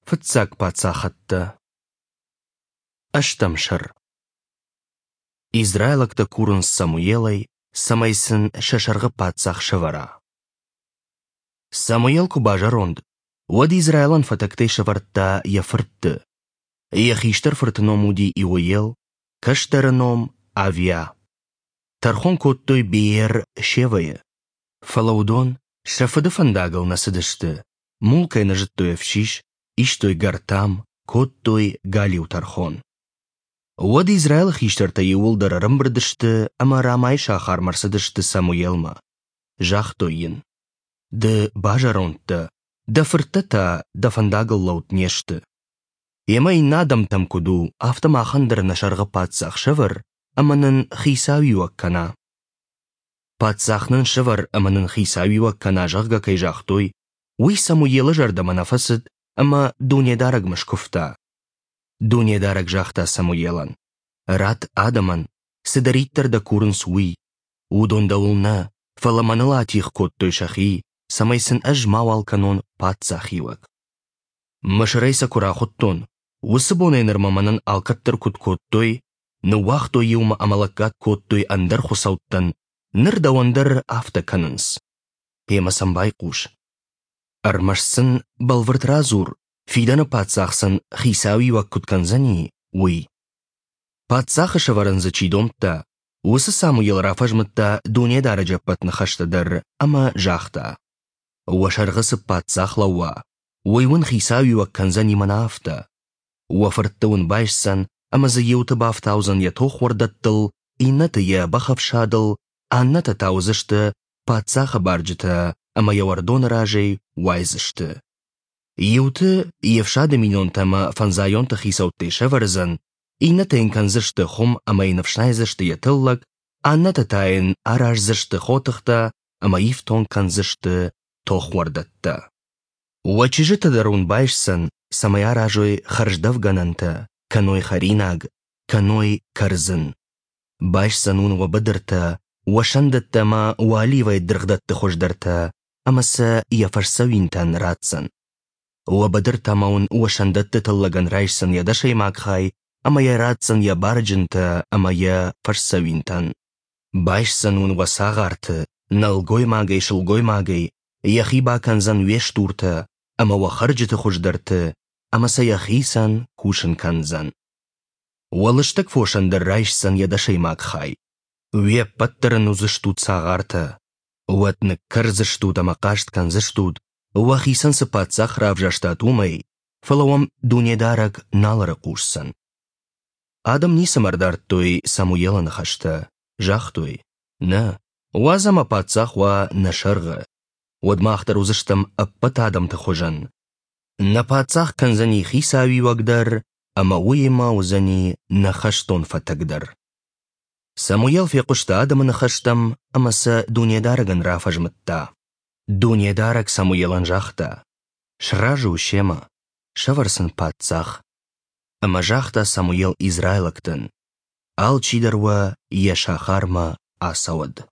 Фыццаг паддзахӕдтӕ. Ӕстӕм сӕр. Израилӕгтӕ курынц Самуелӕй, цӕмӕй сын сӕ сӕргъы паддзах сӕвӕра. Самуел куы базӕронд, уӕд Израилӕн фӕтӕгтӕй сӕвӕрдта йӕ фыртты. Йӕ хистӕр фырты ном уыди Иоел, кӕстӕры ном – Авиа. Тӕрхон кодтой Беер-Шевӕйы. Фӕлӕ уыдон сӕ фыды фӕндагыл нӕ цыдысты, мулкӕй нӕ зыдтой ӕфсис, истой гӕртам, кодтой галиу тӕрхон. Уӕд Израилы хистӕртӕ иууылдӕр ӕрӕмбырд сты ӕмӕ Рамайы сахармӕ ӕрцыдысты Самуелмӕ. Загътой йын: «Ды базӕронд дӕ, дӕ фырттӕ та дӕ фӕндагыл лӕуд не сты. Йемӕ иннӕ адӕмтӕм куыд у, афтӕ махӕн дӕр нӕ сӕргъы паддзах сӕвӕр ӕмӕ нын хицауиуӕг кӕна». Паддзах нын сӕвӕр ӕмӕ нын хицауиуӕг кӕна, зӕгъгӕ, кӕй загътой, уый Самуелы зӕрдӕмӕ нӕ фӕцыд ӕмӕ Дунедарӕгмӕ скуывта. Дунедарӕг загъта Самуелӕн: «Ратт адӕмӕн, цыдӕриддӕр дӕ курынц, уый. Уыдон дӕуыл нӕ, фӕлӕ мӕныл атигъ кодтой сӕхи, цӕмӕй сын ӕз мауал кӕнон паддзахиуӕг. Мысырӕй сӕ куы рахуыдтон, уыцы бонӕй нырмӕ мӕнӕн алкӕддӕр куыд кодтой, ныууагътой иумӕ ӕмӕ лӕггад кодтой ӕндӕр хуыцӕуттӕн, ныр дӕуӕн дӕр афтӕ кӕнынц. Гъемӕ сӕм байхъус. Ӕрмӕст сын бӕлвырд радзур, фидӕны паддзах сын хицауиуӕг куыд кӕндзӕни, уый. Паддзахы сӕвӕрын дзы чи домдта, уыцы Самуел рафӕзмыдта Дунедарӕджы ӕппӕт ныхӕстӕ дӕр ӕмӕ загъта: «Уӕ сӕргъы цы паддзах лӕууа, уый уын хицауиуӕг кӕндзӕни мӕнӕ афтӕ. Уӕ фыртты уын байсдзӕн ӕмӕ дзы иуты бафтаудзӕн йӕ тохуӕрдӕттыл, иннӕты йӕ бӕхӕфсадыл, аннӕтӕ та уыдзысты паддзахы барджытӕ ӕмӕ йӕ уӕрдоны разӕй уайдзысты. Иуты йе фсады минонтӕ ӕмӕ фӕндзайонты хицӕуттӕй сӕвӕрдзӕн, иннӕтӕ йын кӕндзысты хуым ӕмӕ йын ӕфснайдзысты йӕ тыллӕг, аннӕтӕ та йын араздзысты хотыхтӕ ӕмӕ ифтонг кӕндзысты тохуӕрдӕттӕ. Уӕ чызджытӕ дӕр уын байсдзӕн, цӕмӕй аразой хӕрздӕфгӕнӕнтӕ, кӕной хӕринаг, кӕной кӕрдзын. Байсдзӕн уын уӕ быдыртӕ, уӕ сӕндӕттӕ ӕмӕ уӕ оливӕйы дыргъдӕтты хуыздӕртӕ ӕмӕ сӕ йӕ фӕсдзӕуинтӕн ратдзӕн. Уӕ быдыртӕ ӕмӕ уын уӕ сӕндӕтты тыллӕгӕн райсдзӕн йӕ дӕсӕймаг хай ӕмӕ йӕ ратдзӕн йӕ барджынтӕ ӕмӕ йӕ фӕсдзӕуинтӕн. Байсдзӕн уын уӕ цагъарты, нӕлгоймагӕй-сылгоймагӕй, йӕхи бакӕндзӕн уе стуртӕ ӕмӕ уӕ хӕрджыты хуыздӕрты ӕмӕ сӕ йӕхицӕн кусын кӕндзӕн. Уӕ лыстӕг фосӕн дӕр райсдзӕн йӕ дӕсӕймаг хай. Уе ппӕт дӕр ын уыдзыстут цагъартӕ. Уӕд ныккӕрдзыстут ӕмӕ хъаст кӕндзыстут, уӕхицӕн цы паддзах равзӕрстат, уымӕй, фӕлӕ уӕм Дунедарӕг нал ӕрыхъусдзӕн. Адӕм ницӕмӕ ӕрдардтой Самуелы ныхӕстӕ, загътой: «Нӕ, уадз ӕмӕ паддзах уа нӕ сӕргъы, уӕд мах дӕр уыдзыстӕм ӕппӕт адӕмты хуызӕн. Нӕ паддзах кӕндзӕни хицауиуӕг дӕр ӕмӕ уыимӕ уыдзӕни нӕ хӕстон фӕтӕг дӕр». Самуел фехъуыста адӕмы ныхӕстӕм ӕмӕ сӕ Дунедарӕгӕн рафӕзмыдта. Дунедарӕг Самуелӕн загъта: «Сразы у семӕ, сӕвӕр сын паддзах». Ӕмӕ загъта Самуел израилӕгтӕн: «Алчидӕр уӕ йӕ сахармӕ ацӕуӕд».